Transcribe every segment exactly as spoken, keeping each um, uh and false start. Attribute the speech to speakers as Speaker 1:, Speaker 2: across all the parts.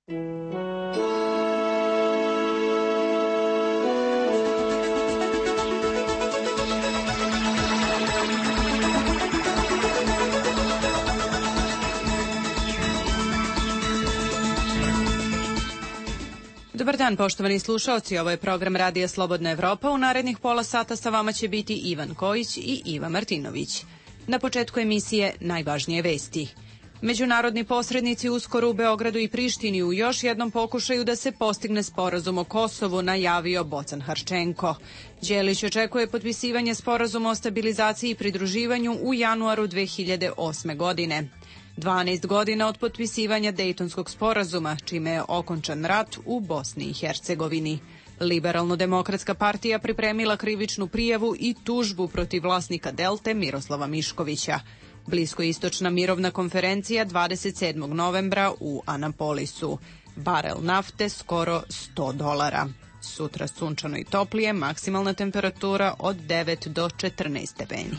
Speaker 1: Dobar dan, poštovani slušaoci, ovo je program Radija Slobodna Evropa. U narednih pola sata sa vama će biti Ivan Kojić i Iva Martinović. Na početku emisije najvažnije vesti. Međunarodni posrednici uskoro u Beogradu i Prištini u još jednom pokušaju da se postigne sporazum o Kosovu, najavio Bocan Harčenko. Đelić očekuje potpisivanje sporazuma o stabilizaciji i pridruživanju u januaru dve hiljade osme godine. dvanaest godina od potpisivanja Dejtonskog sporazuma, čime je okončan rat u Bosni i Hercegovini. Liberalno-demokratska partija pripremila krivičnu prijavu i tužbu protiv vlasnika Delte Miroslava Miškovića. Bliskoistočna mirovna konferencija dvadeset sedmog novembra u Anapolisu. Barel nafte skoro sto dolara. Sutra sunčano i toplije, maksimalna temperatura od devet do četrnaest stepeni.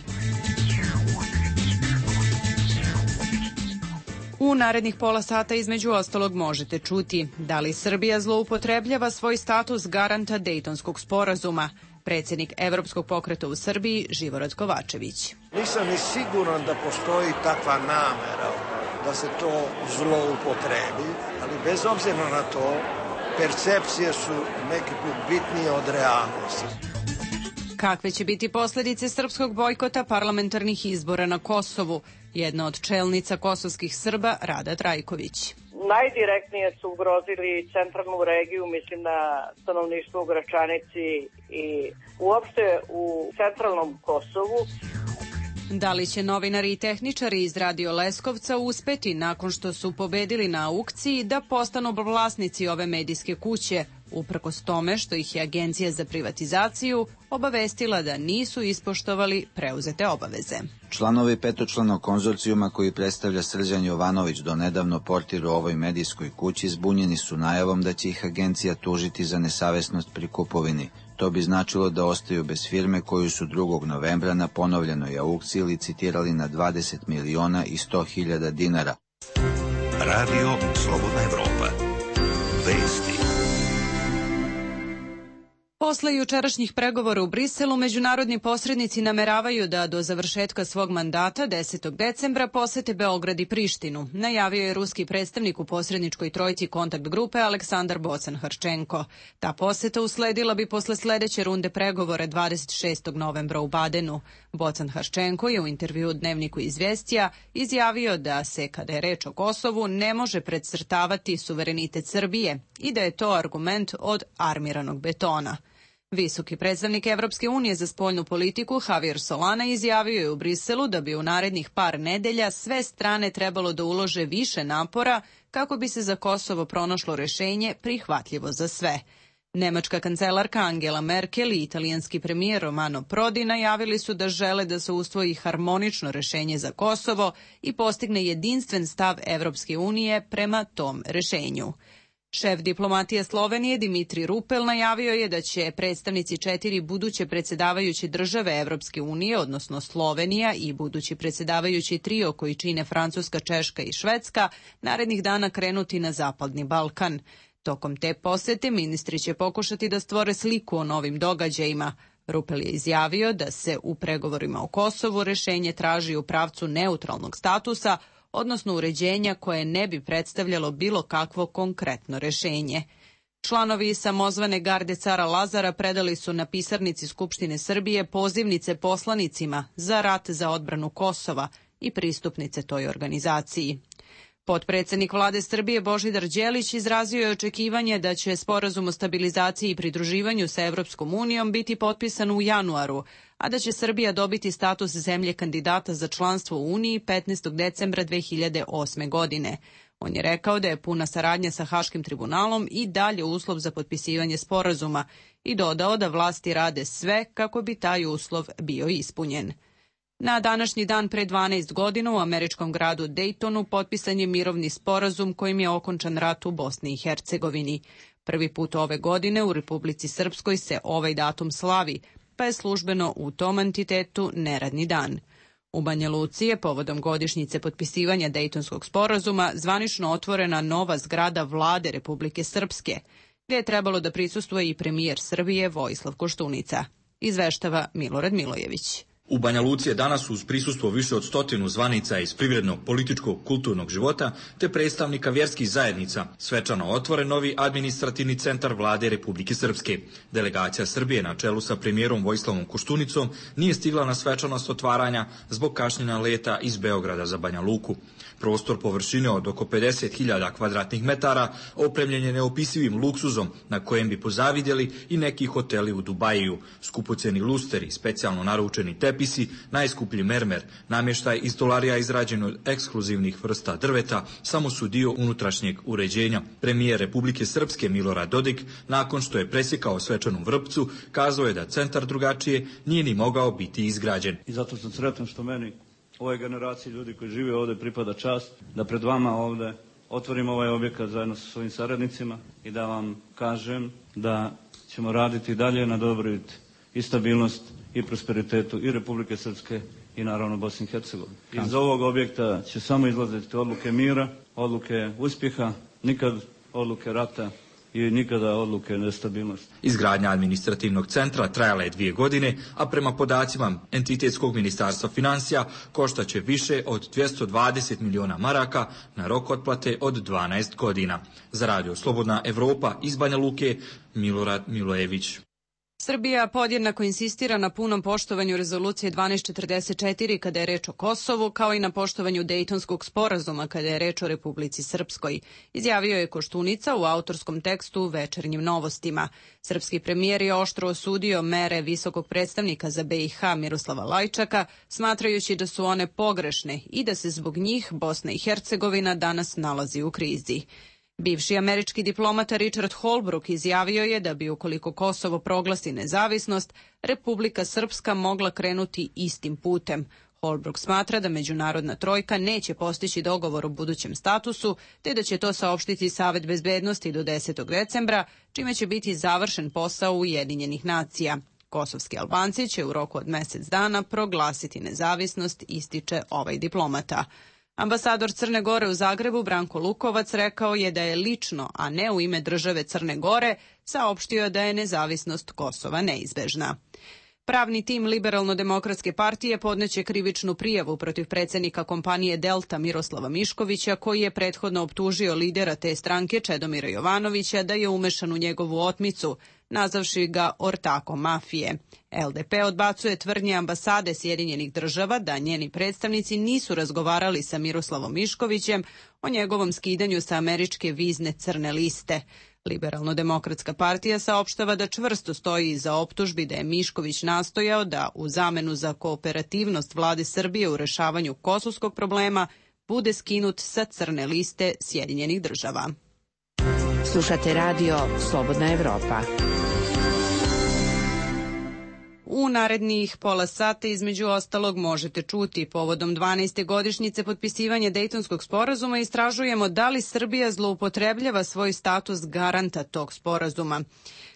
Speaker 1: U narednih pola sata između ostalog možete čuti da li Srbija zloupotrebljava svoj status garanta Dejtonskog sporazuma. Predsjednik Evropskog pokreta u Srbiji Živorad Kovačević.
Speaker 2: Nisam ni siguran da postoji takva namera da se to zloupotrebi, ali bez obzira na to, percepcije su neki put bitnije od realnosti.
Speaker 1: Kakve će biti posljedice srpskog bojkota parlamentarnih izbora na Kosovu? Jedna od čelnica kosovskih Srba, Rada Trajković.
Speaker 3: Najdirektnije su ugrozili centralnu regiju, mislim na stanovništvo u Gračanici i uopšte u centralnom Kosovu.
Speaker 1: Da li će novinari i tehničari iz Radio Leskovca uspeti nakon što su pobedili na aukciji da postanu vlasnici ove medijske kuće, uprkos tome što ih je Agencija za privatizaciju obavestila da nisu ispoštovali preuzete obaveze?
Speaker 4: Članovi petočlanog konzorcijuma koji predstavlja Srđan Jovanović, do nedavno portir u ovoj medijskoj kući, zbunjeni su najavom da će ih agencija tužiti za nesavesnost pri kupovini. To bi značilo da ostaju bez firme koju su drugog novembra na ponovljenoj aukciji licitirali na dvadeset miliona i sto hiljada dinara.
Speaker 5: Radio Slobodna Evropa. Vesti.
Speaker 1: Posle jučerašnjih pregovora u Briselu, međunarodni posrednici nameravaju da do završetka svog mandata desetog decembra posete Beograd i Prištinu, najavio je ruski predstavnik u posredničkoj trojci kontakt grupe Aleksandar Bocan Harčenko. Ta poseta usledila bi posle sledeće runde pregovora dvadeset šestog novembra u Badenu. Bocan Harčenko je u intervju u Dnevniku Izvestija izjavio da se, kada je reč o Kosovu, ne može precrtavati suverenitet Srbije i da je to argument od armiranog betona. Visoki predstavnik Evropske unije za spoljnu politiku Javier Solana izjavio je u Briselu da bi u narednih par nedelja sve strane trebalo da ulože više napora kako bi se za Kosovo pronašlo rešenje prihvatljivo za sve. Nemačka kancelarka Angela Merkel i italijanski premijer Romano Prodi najavili su da žele da se usvoji harmonično rešenje za Kosovo i postigne jedinstven stav Evropske unije prema tom rešenju. Šef diplomatije Slovenije Dimitri Rupel najavio je da će predstavnici četiri buduće predsjedavajuće države Evropske unije, odnosno Slovenija i budući predsjedavajući trio koji čine Francuska, Češka i Švedska, narednih dana krenuti na Zapadni Balkan. Tokom te posete ministri će pokušati da stvore sliku o novim događajima. Rupel je izjavio da se u pregovorima o Kosovu rešenje traži u pravcu neutralnog statusa, odnosno uređenja koje ne bi predstavljalo bilo kakvo konkretno rešenje. Članovi samozvane garde cara Lazara predali su na pisarnici Skupštine Srbije pozivnice poslanicima za rat za odbranu Kosova i pristupnice toj organizaciji. Potpredsednik vlade Srbije Božidar Đelić izrazio je očekivanje da će sporazum o stabilizaciji i pridruživanju sa Evropskom unijom biti potpisan u januaru, a da će Srbija dobiti status zemlje kandidata za članstvo u Uniji petnaestog decembra dve hiljade osme godine. On je rekao da je puna saradnja sa Haškim tribunalom i dalje uslov za potpisivanje sporazuma i dodao da vlasti rade sve kako bi taj uslov bio ispunjen. Na današnji dan pre dvanaest godina u američkom gradu Dejtonu potpisan je mirovni sporazum kojim je okončan rat u Bosni i Hercegovini. Prvi put ove godine u Republici Srpskoj se ovaj datum slavi, pa je službeno u tom entitetu neradni dan. U Banja Luci je povodom godišnjice potpisivanja Dejtonskog sporazuma zvanično otvorena nova zgrada Vlade Republike Srpske, gdje je trebalo da prisustvuje i premijer Srbije Vojislav Koštunica. Izveštava Milorad Milojević.
Speaker 6: U Banja Luci je danas uz prisustvo više od stotinu zvanica iz privrednog, političkog, kulturnog života te predstavnika vjerskih zajednica svečano otvoren novi administrativni centar Vlade Republike Srpske. Delegacija Srbije na čelu sa premijerom Vojislavom Koštunicom nije stigla na svečanost otvaranja zbog kašnjenja leta iz Beograda za Banja Luku. Prostor površine od oko pedeset hiljada kvadratnih metara opremljen je neopisivim luksuzom na kojem bi pozavidjeli i neki hoteli u Dubajiju. Skupoceni lusteri, specijalno naručeni tepisi, najskuplji mermer, namještaj iz stolarija izrađen od ekskluzivnih vrsta drveta samo su dio unutrašnjeg uređenja. Premijer Republike Srpske Milorad Dodik, nakon što je presjekao svečanu vrpcu, kazao je da centar drugačije nije ni mogao biti izgrađen.
Speaker 7: I zato sam sretan što meni, ovoj generaciji ljudi koji žive ovdje, pripada čast da pred vama ovdje otvorim ovaj objekat zajedno sa svojim saradnicima i da vam kažem da ćemo raditi dalje na dobrobit i stabilnost i prosperitetu i Republike Srpske i naravno Bosne i Hercegovine. Iz ovog objekta će samo izlaziti odluke mira, odluke uspjeha, nikad odluke rata i nikada odluke nestabilnosti.
Speaker 6: Izgradnja administrativnog centra trajala je dvije godine, a prema podacima Entitetskog ministarstva financija koštaće više od dvjesto dvadeset miliona maraka na rok otplate od dvanaest godina. Za Radio Slobodna Evropa iz Banja Luke, Milorad Milojević.
Speaker 1: Srbija podjednako insistira na punom poštovanju rezolucije dvanaest četrdeset četiri kada je reč o Kosovu, kao i na poštovanju Dejtonskog sporazuma kada je reč o Republici Srpskoj, izjavio je Koštunica u autorskom tekstu u Večernjim novostima. Srpski premijer je oštro osudio mere visokog predstavnika za B i H Miroslava Lajčaka, smatrajući da su one pogrešne i da se zbog njih Bosna i Hercegovina danas nalazi u krizi. Bivši američki diplomata Richard Holbrooke izjavio je da bi, ukoliko Kosovo proglasi nezavisnost, Republika Srpska mogla krenuti istim putem. Holbrooke smatra da međunarodna trojka neće postići dogovor o budućem statusu, te da će to saopštiti Savet bezbednosti do desetog decembra, čime će biti završen posao Ujedinjenih nacija. Kosovski Albanci će u roku od mjesec dana proglasiti nezavisnost, ističe ovaj diplomata. Ambasador Crne Gore u Zagrebu Branko Lukovac rekao je da je lično, a ne u ime države Crne Gore, saopštio da je nezavisnost Kosova neizbežna. Pravni tim Liberalno-demokratske partije podneće krivičnu prijavu protiv predsjednika kompanije Delta Miroslava Miškovića, koji je prethodno optužio lidera te stranke Čedomira Jovanovića da je umešan u njegovu otmicu, nazavši ga ortakom mafije. L D P odbacuje tvrdnje ambasade Sjedinjenih država da njeni predstavnici nisu razgovarali sa Miroslavom Miškovićem o njegovom skidanju sa američke vizne crne liste. Liberalno-demokratska partija saopštava da čvrsto stoji iza optužbi da je Mišković nastojao da u zamenu za kooperativnost vlade Srbije u rešavanju kosovskog problema bude skinut sa crne liste Sjedinjenih država.
Speaker 8: Slušate radio Slobodna Evropa.
Speaker 1: U narednih pola sata između ostalog možete čuti povodom dvanaeste godišnjice potpisivanja Dejtonskog sporazuma istražujemo da li Srbija zloupotrebljava svoj status garanta tog sporazuma.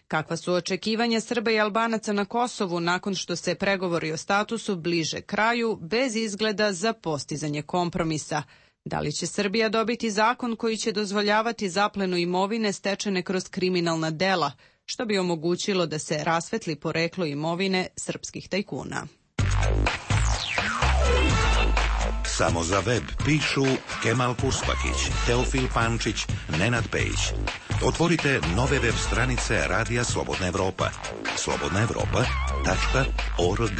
Speaker 1: Kakva su očekivanja Srba i Albanaca na Kosovu nakon što se pregovori o statusu bliže kraju bez izgleda za postizanje kompromisa? Da li će Srbija dobiti zakon koji će dozvoljavati zaplenu imovine stečene kroz kriminalna dela, što bi omogućilo da se rasvetli poreklo imovine srpskih tajkuna?
Speaker 5: Samo za web pišu Kemal Puspahić, Teofil Pančić, Nenad Pejić. Otvorite nove web stranice Radija Slobodna Evropa. slobodna evropa tačka org.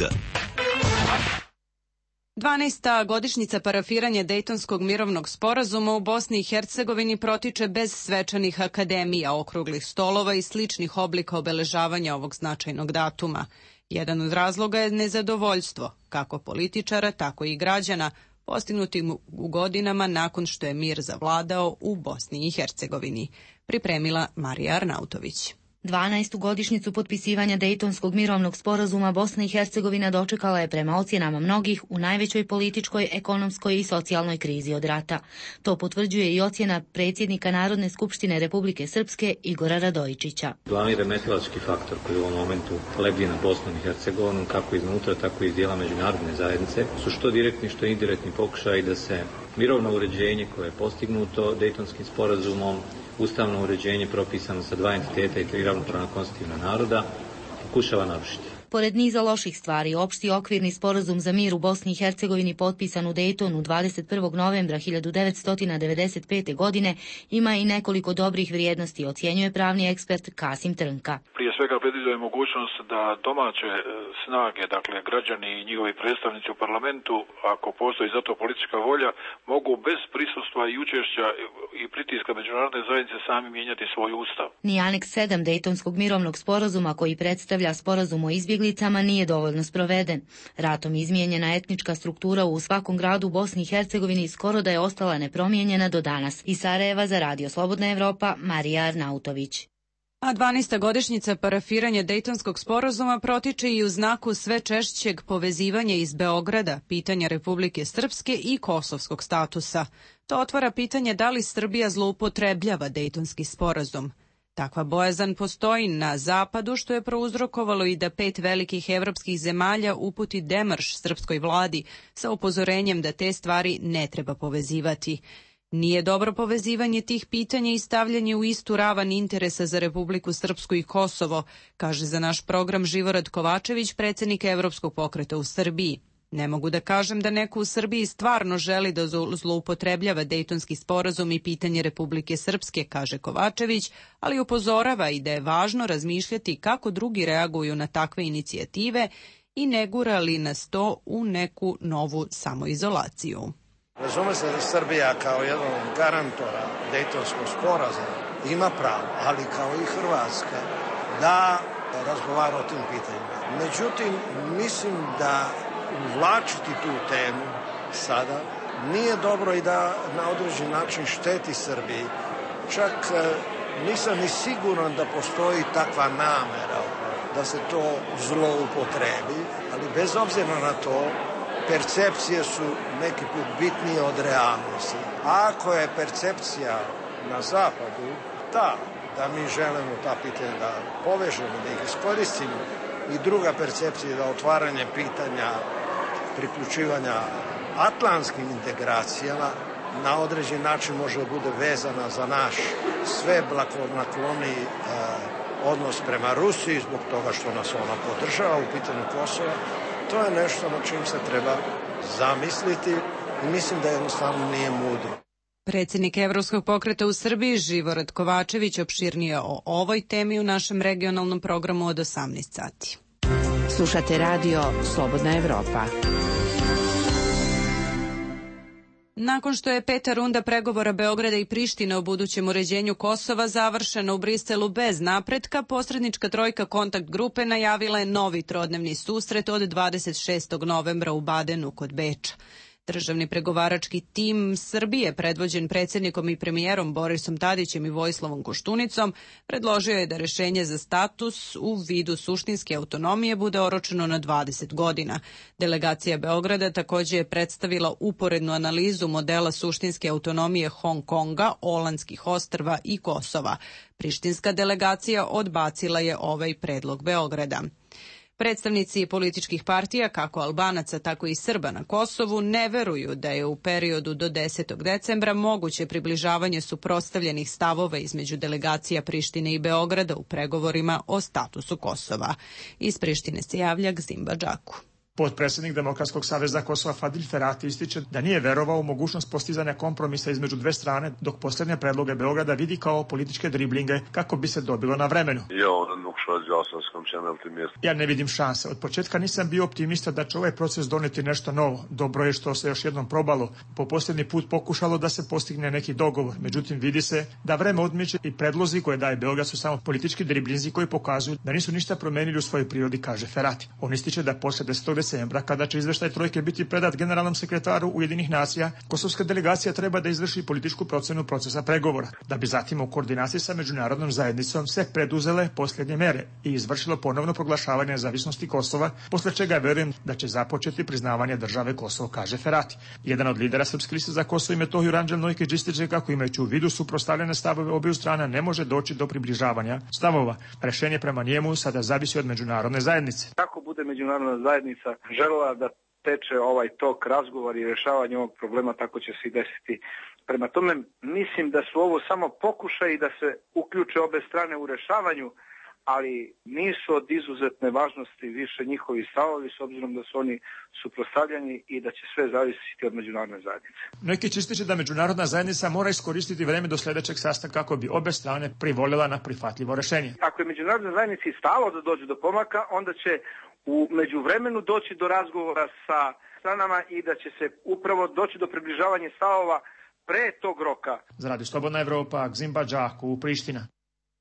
Speaker 1: dvanaesta godišnjica parafiranja Dejtonskog mirovnog sporazuma u Bosni i Hercegovini protiče bez svečanih akademija, okruglih stolova i sličnih oblika obeležavanja ovog značajnog datuma. Jedan od razloga je nezadovoljstvo, kako političara, tako i građana, postignutim u godinama nakon što je mir zavladao u Bosni i Hercegovini. Pripremila Marija Arnautović.
Speaker 9: dvanaestu godišnjicu potpisivanja Dejtonskog mirovnog sporazuma Bosna i Hercegovina dočekala je prema ocjenama mnogih u najvećoj političkoj, ekonomskoj i socijalnoj krizi od rata. To potvrđuje i ocjena predsjednika Narodne skupštine Republike Srpske Igora Radojičića.
Speaker 10: Glavni remetilački faktor koji u ovom momentu lebdi na Bosnom i Hercegovinom, kako iznutra, tako i iz dijela međunarodne zajednice, su što direktni, što indirektni pokušaj da se mirovno uređenje koje je postignuto Dejtonskim sporazumom, ustavno uređenje propisano sa dva entiteta i tri ravnopravna konstitutivna naroda, pokušava narušiti.
Speaker 9: Pored niza loših stvari, opšti okvirni sporazum za mir u Bosni i Hercegovini potpisan u Dejtonu dvadeset prvog novembra hiljadu devetsto devedeset pete. godine ima i nekoliko dobrih vrijednosti, ocjenjuje pravni ekspert Kasim Trnka.
Speaker 11: Prije svega predviđa mogućnost da domaće snage, dakle građani i njihovi predstavnici u parlamentu, ako postoji za to politička volja, mogu bez prisustva i učešća i pritiska međunarodne zajednice sami mijenjati svoj ustav.
Speaker 9: Ni aneks sedam Dejtonskog mirovnog sporazuma, koji predstavlja sporazum o izbjeglicama, nije dovoljno sproveden. Ratom izmijenjena etnička struktura u svakom gradu u Bosni i Hercegovini skoro da je ostala nepromijenjena do danas. Iz Sarajeva za Radio Slobodna Evropa, Marija Arnautović.
Speaker 1: A dvanaesta godišnjica parafiranja Dejtonskog sporazuma protiče i u znaku sve češćeg povezivanja iz Beograda, pitanja Republike Srpske i kosovskog statusa. To otvara pitanje da li Srbija zloupotrebljava Dejtonski sporazum. Takva bojazan postoji na zapadu, što je prouzrokovalo i da pet velikih evropskih zemalja uputi demarš srpskoj vladi sa upozorenjem da te stvari ne treba povezivati. Nije dobro povezivanje tih pitanja i stavljanje u istu ravan interesa za Republiku Srpsku i Kosovo, kaže za naš program Živorad Kovačević, predsjednik Evropskog pokreta u Srbiji. Ne mogu da kažem da neko u Srbiji stvarno želi da zloupotrebljava Dejtonski sporazum i pitanje Republike Srpske, kaže Kovačević, ali upozorava i da je važno razmišljati kako drugi reaguju na takve inicijative i ne gura li nas to u neku novu samoizolaciju.
Speaker 2: Razume se da Srbija kao jedan od garantora Dejtonskog sporazuma ima pravo, ali kao i Hrvatska, da razgovara o tim pitanjima. Međutim, mislim da uvlačiti tu temu sada nije dobro i da na određen način šteti Srbiji. Čak nisam ni siguran da postoji takva namera da se to zloupotrebi, ali bez obzira na to, percepcije su neki put bitnije od realnosti. A ako je percepcija na zapadu ta da mi želimo ta pitanja da povežemo, da ih iskoristimo, i druga percepcija da otvaranje pitanja priključivanja atlantskim integracijama na određen način može da bude vezana za naš sve blagonakloni e, odnos prema Rusiji zbog toga što nas ona podržava u pitanju Kosova. To je nešto na čim se treba zamisliti i mislim da jednostavno nije mudro.
Speaker 1: Predsjednik Evropskog pokreta u Srbiji Živorad Kovačević opširnije o ovoj temi u našem regionalnom programu od osamnaest sati.
Speaker 8: Slušate radio Slobodna Evropa.
Speaker 1: Nakon što je peta runda pregovora Beograda i Prištine o budućem uređenju Kosova završena u Briselu bez napretka, posrednička trojka kontakt grupe najavila je novi trodnevni susret od dvadeset šestog novembra u Badenu kod Beča. Državni pregovarački tim Srbije, predvođen predsjednikom i premijerom Borisom Tadićem i Vojislavom Koštunicom, predložio je da rešenje za status u vidu suštinske autonomije bude oročeno na dvadeset godina. Delegacija Beograda također je predstavila uporednu analizu modela suštinske autonomije Hong Konga, Olandskih ostrva i Kosova. Prištinska delegacija odbacila je ovaj predlog Beograda. Predstavnici političkih partija, kako Albanaca, tako i Srba na Kosovu, ne veruju da je u periodu do desetog decembra moguće približavanje suprotstavljenih stavova između delegacija Prištine i Beograda u pregovorima o statusu Kosova. Iz Prištine se javlja Gzimba Džaku.
Speaker 12: Potpredsjednik Demokratskog saveza Kosova Fadil Ferati ističe da nije verovao u mogućnost postizanja kompromisa između dve strane, dok posljednje predloge Beograda vidi kao političke driblinge kako bi se dobilo na vremenu. Ja ne vidim šanse. Od početka nisam bio optimista da će ovaj proces doneti nešto novo. Dobro je što se još jednom probalo. Po posljednji put pokušalo da se postigne neki dogovor. Međutim, vidi se da vreme odmiče i predlozi koje daje Beograd su samo politički driblinzi koji pokazuju da nisu ništa promenili u svojoj prirodi, kaže Ferati. On ističe da poslije desetog decembra, kada će izveštaj trojke biti predat generalnom sekretaru Ujedinjenih nacija, kosovska delegacija treba da izvrši političku procenu procesa pregovora, da bi zatim u koordinaciji sa međunarodnom zajednicom se preduzele posljednje mere i izvršilo ponovno proglašavanje nezavisnosti Kosova, posle čega verujem da će započeti priznavanje države Kosovo, kaže Ferati. Jedan od lidera Srpske liste za Kosovo i Metohiju, Ranđel Nojkić, ističe kako imajući u vidu suprotstavljene stavove obiju strana ne može doći do približavanja stavova. Rešenje prema njemu sada zavisi od međunarodne zajednice.
Speaker 13: Kako bude međunarodna zajednica želela da teče ovaj tok razgovor i rešavanje ovog problema, tako će se i desiti. Prema tome, mislim da su ovo samo pokušaji da se uključe obe strane u rešavanju, ali nisu od izuzetne važnosti više njihovi stavovi, s obzirom da su oni suprotstavljeni i da će sve zavisiti od međunarodne zajednice.
Speaker 12: Neki ističe da međunarodna zajednica mora iskoristiti vreme do sledećeg sastanka kako bi obe strane privolila na prihvatljivo rešenje.
Speaker 13: Ako je međunarodnoj zajednici stalo da dođe do pomaka, onda će u međuvremenu doći do razgovora sa stranama i da će se upravo doći do približavanja stavova pre tog roka.
Speaker 12: Za Radio Slobodna Evropa, Gzimba Đaku, Priština.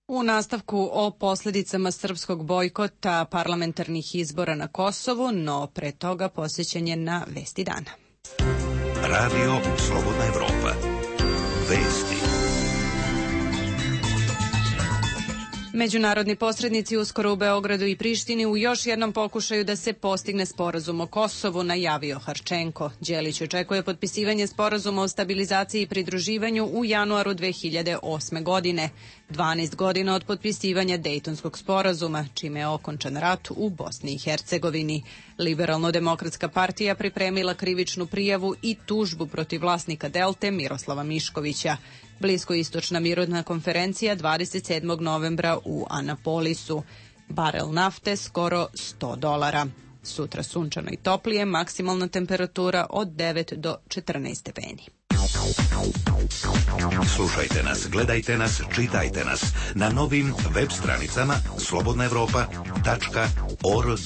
Speaker 1: U nastavku o posledicama srpskog bojkota parlamentarnih izbora na Kosovu, no pre toga posjećanje na Vesti dana.
Speaker 5: Radio Slobodna Evropa. Vesti.
Speaker 1: Međunarodni posrednici uskoro u Beogradu i Prištini u još jednom pokušaju da se postigne sporazum o Kosovu, najavio Harčenko. Đelić očekuje potpisivanje sporazuma o stabilizaciji i pridruživanju u januaru dve hiljade osme. godine, dvanaest godina od potpisivanja Dejtonskog sporazuma, čime je okončan rat u Bosni i Hercegovini. Liberalno-demokratska partija pripremila krivičnu prijavu i tužbu protiv vlasnika Delte Miroslava Miškovića. Bliskoistočna mirovna konferencija dvadeset sedmog novembra u Anapolisu. Barel nafte skoro sto dolara. Sutra sunčano i toplije, maksimalna temperatura od devet do četrnaest stepeni.
Speaker 5: Slušajte nas, gledajte nas, čitajte nas na novim web stranicama slobodna evropa tačka org.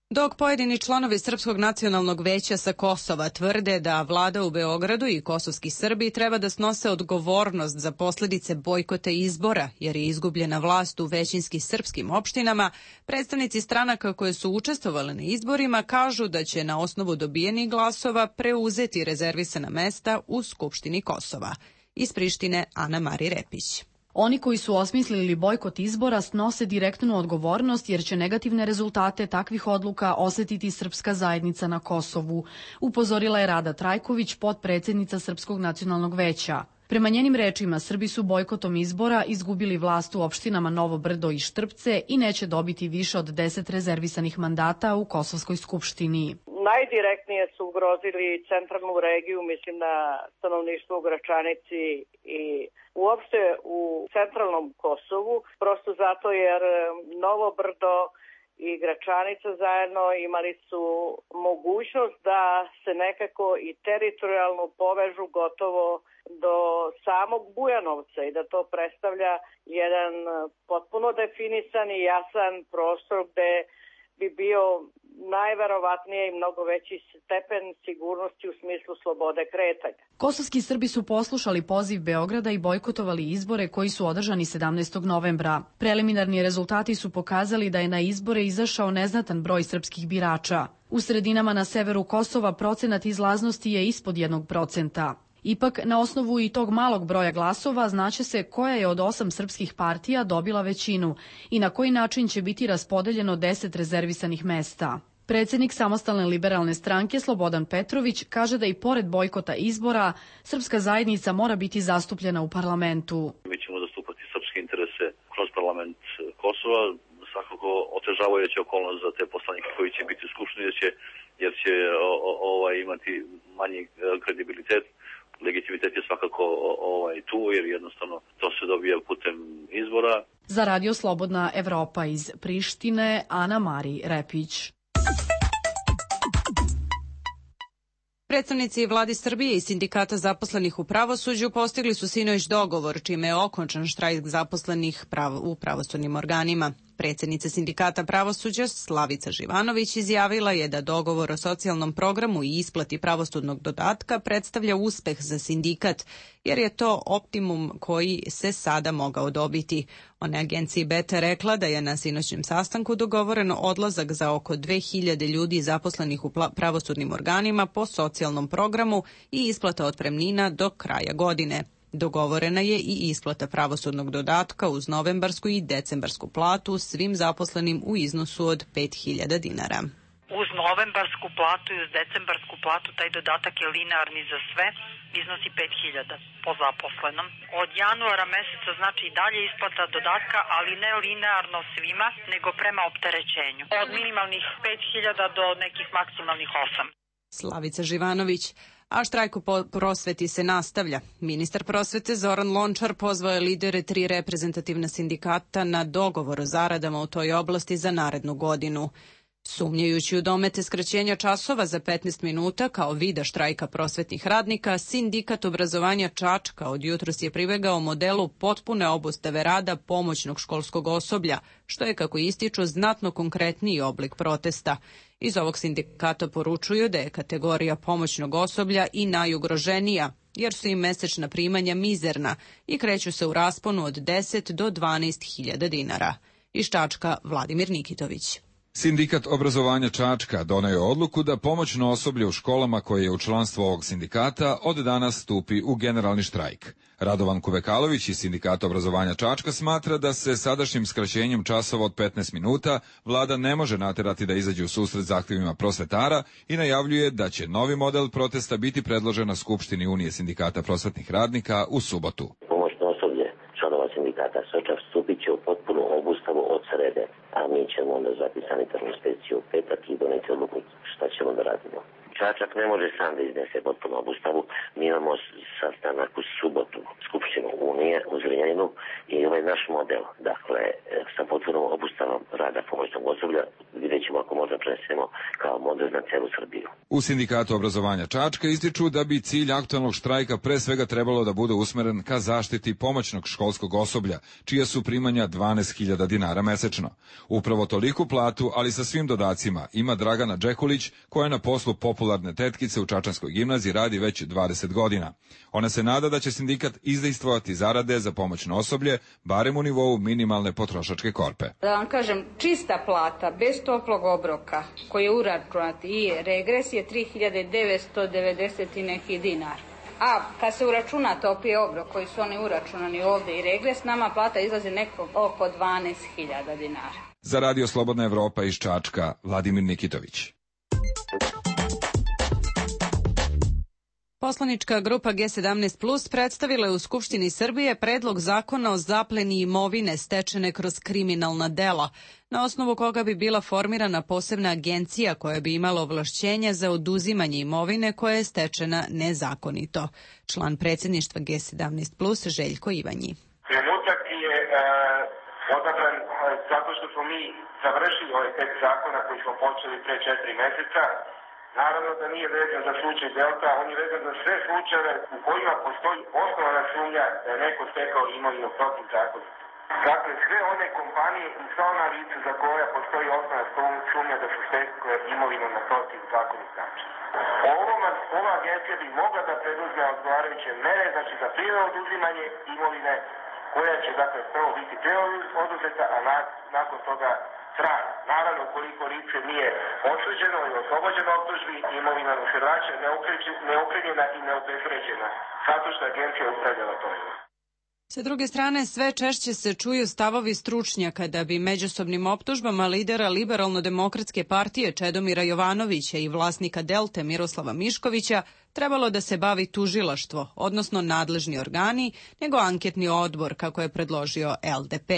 Speaker 1: Dok pojedini članovi Srpskog nacionalnog veća sa Kosova tvrde da vlada u Beogradu i kosovski Srbi treba da snose odgovornost za posledice bojkota izbora, jer je izgubljena vlast u većinski srpskim opštinama, predstavnici stranaka koje su učestvovali na izborima kažu da će na osnovu dobijenih glasova preuzeti rezervisana mesta u Skupštini Kosova. Iz Prištine Ana Mari Repić.
Speaker 14: Oni koji su osmislili bojkot izbora snose direktnu odgovornost jer će negativne rezultate takvih odluka osetiti srpska zajednica na Kosovu, upozorila je Rada Trajković, potpredsednica Srpskog nacionalnog veća. Prema njenim rečima, Srbi su bojkotom izbora izgubili vlast u opštinama Novo Brdo i Štrpce i neće dobiti više od deset rezervisanih mandata u Kosovskoj skupštini.
Speaker 3: Najdirektnije su ugrozili centralnu regiju, mislim na stanovništvo u Gračanici i uopšte u centralnom Kosovu, prosto zato jer Novo Brdo i Gračanica zajedno imali su mogućnost da se nekako i teritorijalno povežu gotovo do samog Bujanovca i da to predstavlja jedan potpuno definisan i jasan prostor gde bi bio najverovatnije i mnogo veći stepen sigurnosti u smislu slobode kretanja.
Speaker 14: Kosovski Srbi su poslušali poziv Beograda i bojkotovali izbore koji su održani sedamnaestog novembra. Preliminarni rezultati su pokazali da je na izbore izašao neznatan broj srpskih birača. U sredinama na severu Kosova procenat izlaznosti je ispod jednog procenta. Ipak, na osnovu i tog malog broja glasova znaće se koja je od osam srpskih partija dobila većinu i na koji način će biti raspodeljeno deset rezervisanih mesta. Predsednik Samostalne liberalne stranke Slobodan Petrović kaže da i pored bojkota izbora, srpska zajednica mora biti zastupljena u parlamentu.
Speaker 15: Mi ćemo zastupati srpske interese kroz parlament Kosova, svakako otežavajuća okolnost za te poslanike koji će biti u skupštini, jer će, jer će o, o, ovaj, imati manji kredibilitet. Legitimitet je svakako ovaj, tu, jer jednostavno to se dobija putem izbora.
Speaker 14: Za Radio Slobodna Evropa iz Prištine, Ana Mari Repić.
Speaker 1: Predstavnici vladi Srbije i sindikata zaposlenih u pravosuđu postigli su sinoć dogovor, čime je okončan štrajk zaposlenih u pravosudnim organima. Predsjednica sindikata pravosuđa Slavica Živanović izjavila je da dogovor o socijalnom programu i isplati pravosudnog dodatka predstavlja uspeh za sindikat, jer je to optimum koji se sada mogao dobiti. Ona agenciji Beta rekla da je na sinoćnjem sastanku dogovoren odlazak za oko dve hiljade ljudi zaposlenih u pravosudnim organima po socijalnom programu i isplata otpremnina do kraja godine. Dogovorena je i isplata pravosudnog dodatka uz novembarsku i decembarsku platu svim zaposlenim u iznosu od pet hiljada dinara.
Speaker 16: Uz novembarsku platu i uz decembarsku platu taj dodatak je linearni za sve, iznosi pet hiljada po zaposlenom. Od januara meseca znači i dalje isplata dodatka, ali ne linearno svima, nego prema opterećenju. Od minimalnih pet hiljada do nekih maksimalnih osam.
Speaker 1: Slavica Živanović. A štrajk u prosveti se nastavlja. Ministar prosvete Zoran Lončar pozvao je lidere tri reprezentativna sindikata na dogovor o zaradama u toj oblasti za narednu godinu. Sumnjajući u domete skraćenja časova za petnaest minuta kao vida štrajka prosvetnih radnika, sindikat obrazovanja Čačka od jutros je pribegao modelu potpune obustave rada pomoćnog školskog osoblja, što je, kako ističu, znatno konkretniji oblik protesta. Iz ovog sindikata poručuju da je kategorija pomoćnog osoblja i najugroženija, jer su im mesečna primanja mizerna i kreću se u rasponu od deset do dvanaest hiljada dinara. Iz Čačka Vladimir Nikitović.
Speaker 17: Sindikat obrazovanja Čačka doneo je odluku da pomoćno osoblje u školama koje je u članstvu ovog sindikata od danas stupi u generalni štrajk. Radovan Kuvekalović iz sindikata obrazovanja Čačka smatra da se sadašnjim skraćenjem časova od petnaest minuta vlada ne može naterati da izađe u susret zahtjevima prosvetara i najavljuje da će novi model protesta biti predložen na Skupštini Unije sindikata prosvetnih radnika u subotu.
Speaker 18: Pomoćno osoblje članova sindikata Soča stupit će u potpunu obustavu od srede, a mi ćemo onda zvati sanitarnu inspekciju u petak i doneti odluku šta ćemo da radimo. Čačak ne može sam da iznese potpunu obustavu. Mi imamo sastanak u subotu Skupštinu Unije u Zrenjaninu i ovaj naš model, dakle, sa potpunom obustavom rada pomoćnog osoblja, vidjet ćemo ako možda prenesemo kao model na celu Srbiju.
Speaker 17: U sindikatu obrazovanja Čačka ističu da bi cilj aktualnog štrajka pre svega trebalo da bude usmeren ka zaštiti pomoćnog školskog osoblja, čija su primanja dvanaest hiljada dinara mesečno. Upravo toliku platu, ali sa svim dodacima, ima Dragana Džekulić, koja na poslu popularne tetkice u Čačanskoj gimnaziji radi već dvadeset godina. Ona se nada da će sindikat izdejstvovati zarade za pomoćno osoblje, barem u nivou minimalne potrošačke korpe.
Speaker 19: Da vam kažem, čista plata, bez toplog obroka, koji je uračunat i regres je tri hiljade devetsto devedeset i neki dinar. A kad se uračuna topli obrok koji su oni uračunani ovde i regres, nama plata izlazi neko oko dvanaest hiljada dinara.
Speaker 17: Za Radio Slobodna Evropa iz Čačka, Vladimir Nikitović.
Speaker 1: Poslanička grupa G sedamnaest plus predstavila je u Skupštini Srbije predlog zakona o zapleni imovine stečene kroz kriminalna dela, na osnovu koga bi bila formirana posebna agencija koja bi imala ovlašćenja za oduzimanje imovine koja je stečena nezakonito. Član predsjedništva G sedamnaest plus Željko Ivanji.
Speaker 20: Trenutak je uh, odabran uh, zato što smo mi završili ovaj tekst zakona koji smo počeli pre četiri meseca. Naravno da nije vezan za slučaj Delta, on je vezan za sve slučajeve u kojima postoji osnovana sumnja da je neko stekao imovinu protivzakonito. Dakle, sve one kompanije i sva ona lica za koja postoji osnovana sumnja da su stekle imovinu na protivzakonit način. Ova agencija bi mogla da preduzme odgovarajuće mere, znači za prvo oduzimanje imovine, koja će, dakle, prvo biti prvo oduzeta, a na, nakon toga trajno. Naravno, koliko lice nije osuđeno i oslobođeno optužbi, imovina se vraća neokrivljena i neobezvređena, zato što agencija upravljala to.
Speaker 1: Sa druge strane, sve češće se čuju stavovi stručnjaka da bi međusobnim optužbama lidera Liberalno-demokratske partije Čedomira Jovanovića i vlasnika Delte Miroslava Miškovića trebalo da se bavi tužilaštvo, odnosno nadležni organi, nego anketni odbor, kako je predložio L D P.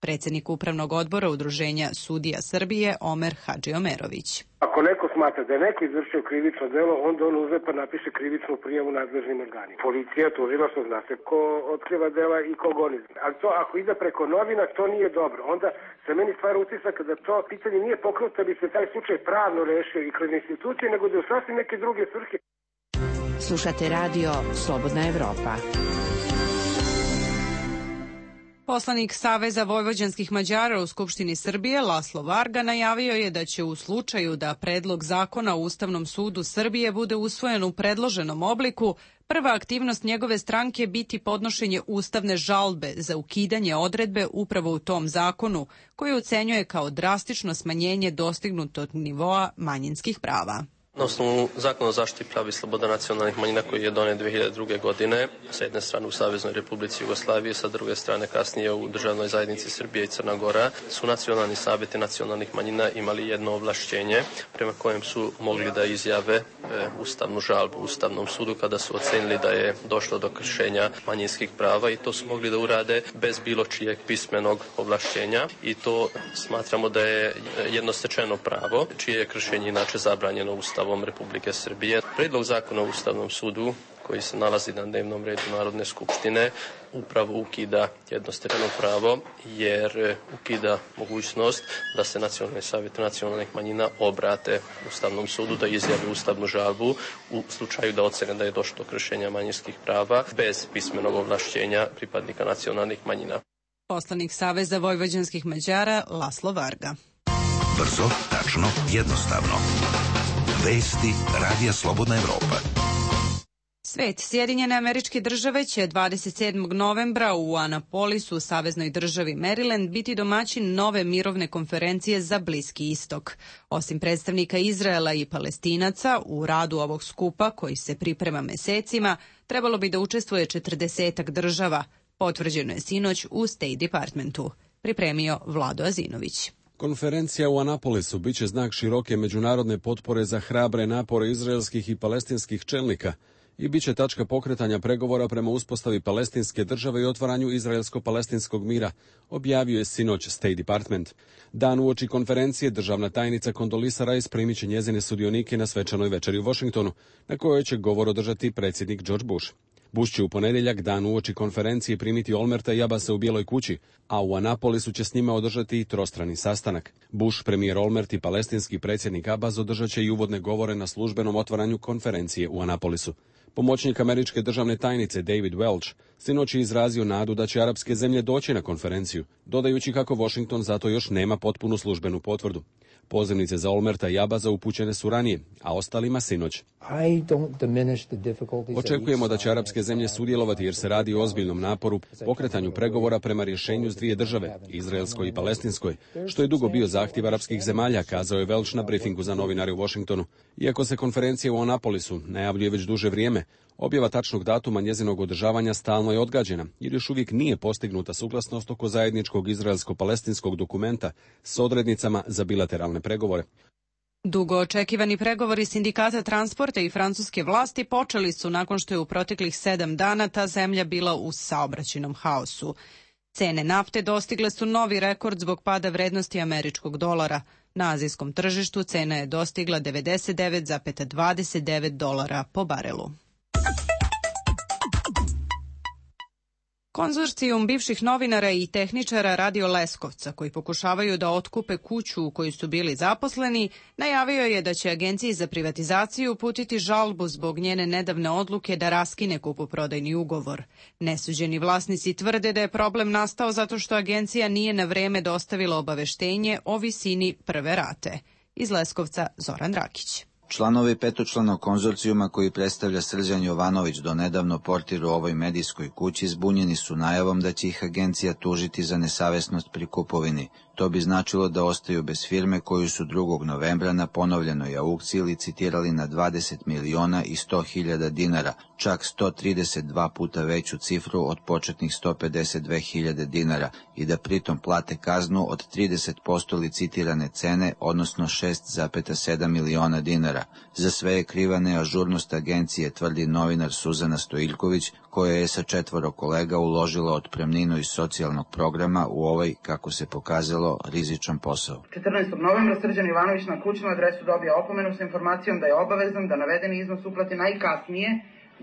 Speaker 1: Predsjednik Upravnog odbora Udruženja sudija Srbije Omer Hadžiomerović.
Speaker 21: Ako neko smatra da je neko izvršio krivično delo, onda on uzme pa napiše krivičnu prijavu nadležnim organima. Policija, tužilaštvo, zna se ko otkriva dela i ko goni. Ali to ako ide preko novina, to nije dobro. Onda se meni stvara utisak da to pitanje nije pokrenuto, da bi se taj slučaj pravno rešio i kroz institucije, nego da je sasvim neke druge svrhe.
Speaker 8: Slušate radio Slobodna Evropa.
Speaker 1: Poslanik Saveza vojvođanskih Mađara u Skupštini Srbije, Laslo Varga, najavio je da će u slučaju da predlog zakona u Ustavnom sudu Srbije bude usvojen u predloženom obliku, prva aktivnost njegove stranke biti podnošenje ustavne žalbe za ukidanje odredbe upravo u tom zakonu, koji ocenjuje kao drastično smanjenje dostignutog nivoa manjinskih prava.
Speaker 4: Na osnovu zakona o zaštiti prava i sloboda nacionalnih manjina koji je donet dve hiljade druge. godine, sa jedne strane u Saveznoj Republici Jugoslavije, sa druge strane kasnije u Državnoj zajednici Srbije i Crna Gora, su nacionalni savjeti nacionalnih manjina imali jedno ovlašćenje prema kojem su mogli da izjave e, ustavnu žalbu Ustavnom sudu kada su ocenili da je došlo do kršenja manjinskih prava, i to su mogli da urade bez bilo čijeg pismenog ovlašćenja, i to smatramo da je jednostečeno pravo, čije je kršenje inače zabranjeno Ustavom Republike Srbije. Predlog zakona o Ustavnom sudu koji se nalazi na dnevnom redu Narodne skupštine upravo ukida jednostepeno pravo, jer ukida mogućnost da se nacionalni savjet nacionalnih manjina obrate Ustavnom sudu da izjave ustavnu žalbu u slučaju da ocene da je došlo do kršenja manjinskih prava bez pismenog ovlašćenja pripadnika nacionalnih manjina.
Speaker 1: Poslanik Saveza vojvođanskih Mađara, Laslo Varga.
Speaker 5: Brzo, tačno, jednostavno. Vesti Radija Slobodna Evropa.
Speaker 1: Svet, Sjedinjene Američke Države će dvadeset sedmog novembra u Anapolisu, u saveznoj državi Maryland, biti domaćin nove mirovne konferencije za Bliski istok. Osim predstavnika Izraela i Palestinaca, u radu ovog skupa, koji se priprema mesecima, trebalo bi da učestvuje četrdesetak država. Potvrđeno je sinoć u State Departmentu. Pripremio Vlado Azinović.
Speaker 22: Konferencija u Anapolisu biće znak široke međunarodne potpore za hrabre napore izraelskih i palestinskih čelnika i biće tačka pokretanja pregovora prema uspostavi palestinske države i otvaranju izraelsko-palestinskog mira, objavio je sinoć State Department. Dan uoči konferencije državna tajnica Condoleezza Rice primit će njezine sudionike na svečanoj večeri u Washingtonu, na kojoj će govor održati predsjednik George Bush. Bush će u ponedjeljak, dan uoči konferencije, primiti Olmerta i Abasa u Bijeloj kući, a u Anapolisu će s njima održati i trostrani sastanak. Bush, premijer Olmert i palestinski predsjednik Abbas održat će i uvodne govore na službenom otvaranju konferencije u Anapolisu. Pomoćnik američke državne tajnice David Welch sinoć je izrazio nadu da će arapske zemlje doći na konferenciju, dodajući kako Washington zato još nema potpunu službenu potvrdu. Pozivnice za Olmerta i Abasa upućene su ranije, a ostalima sinoć. Očekujemo da će arapske zemlje sudjelovati jer se radi o ozbiljnom naporu, pokretanju pregovora prema rješenju s dvije države, izraelskoj i palestinskoj, što je dugo bio zahtjev arapskih zemalja, kazao je Welch na briefingu za novinare u Washingtonu. Iako se konferencija u Anapolisu najavljuje već duže vrijeme, objava tačnog datuma njezinog održavanja stalno je odgađena, jer još uvijek nije postignuta suglasnost oko zajedničkog izraelsko-palestinskog dokumenta s odrednicama za bilateralne pregovore.
Speaker 1: Dugo očekivani pregovori sindikata transporta i francuske vlasti počeli su nakon što je u proteklih sedam dana ta zemlja bila u saobraćajnom haosu. Cene nafte dostigle su novi rekord zbog pada vrednosti američkog dolara. Na azijskom tržištu cena je dostigla devedeset devet zarez dvadeset devet dolara po barelu. Konzorcijum bivših novinara i tehničara Radio Leskovca, koji pokušavaju da otkupe kuću u kojoj su bili zaposleni, najavio je da će Agenciji za privatizaciju uputiti žalbu zbog njene nedavne odluke da raskine kupoprodajni ugovor. Nesuđeni vlasnici tvrde da je problem nastao zato što agencija nije na vreme dostavila obaveštenje o visini prve rate. Iz Leskovca Zoran Rakić.
Speaker 23: Članovi petočlanog konzorcijuma koji predstavlja Srđan Jovanović, do nedavno portir u ovoj medijskoj kući, zbunjeni su najavom da će ih agencija tužiti za nesavesnost pri kupovini. To bi značilo da ostaju bez firme koju su drugog novembra na ponovljenoj aukciji licitirali na dvadeset miliona i sto hiljada dinara, čak sto trideset dva puta veću cifru od početnih sto pedeset dve hiljade dinara, i da pritom plate kaznu od trideset posto licitirane cene, odnosno šest zarez sedam miliona dinara. Za sve je kriva neažurnost agencije, tvrdi novinar Suzana Stojiljković, koja je sa četvoro kolega uložila otpremninu iz socijalnog programa u ovaj, kako se pokazalo, rizičan posao.
Speaker 24: četrnaestog novembra Srđan Jovanović na kućnu adresu dobija opomenu sa informacijom da je obavezan da navedeni iznos uplati najkasnije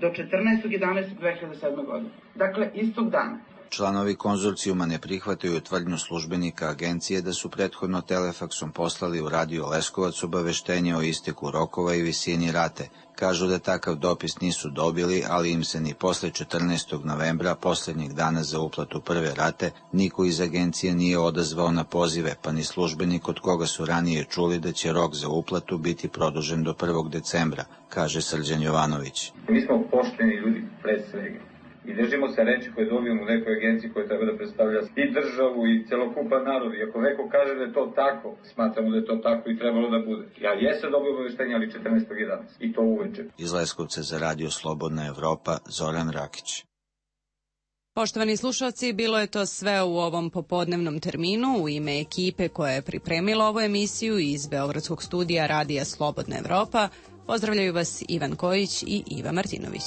Speaker 24: do četrnaestog jedanaestog dve hiljade sedme. godine. Dakle, istog dana.
Speaker 23: Članovi konzorcijuma ne prihvataju tvrdnju službenika agencije da su prethodno telefaksom poslali u Radio Leskovac obaveštenje o isteku rokova i visini rate. Kažu da takav dopis nisu dobili, ali im se ni posle četrnaestog novembra, poslednjeg dana za uplatu prve rate, niko iz agencije nije odazvao na pozive, pa ni službenik od koga su ranije čuli da će rok za uplatu biti produžen do prvog decembra, kaže Srđan Jovanović.
Speaker 6: Mi smo pošteni ljudi pre svega i držimo se reči koje dobijemo u nekoj agenciji koja treba da predstavlja i državu i celokupan narod. I ako neko kaže da je to tako, smatramo da je to tako i trebalo da bude. Ja jesam dobio obaveštenje, ali četrnaestog jedanaestog i to uveče.
Speaker 23: Iz Leskovca za Radio Slobodna Evropa, Zoran Rakić.
Speaker 1: Poštovani slušalci, bilo je to sve u ovom popodnevnom terminu. U ime ekipe koja je pripremila ovu emisiju iz Beogradskog studija Radija Slobodna Evropa, pozdravljaju vas Ivan Kojić i Iva Martinović.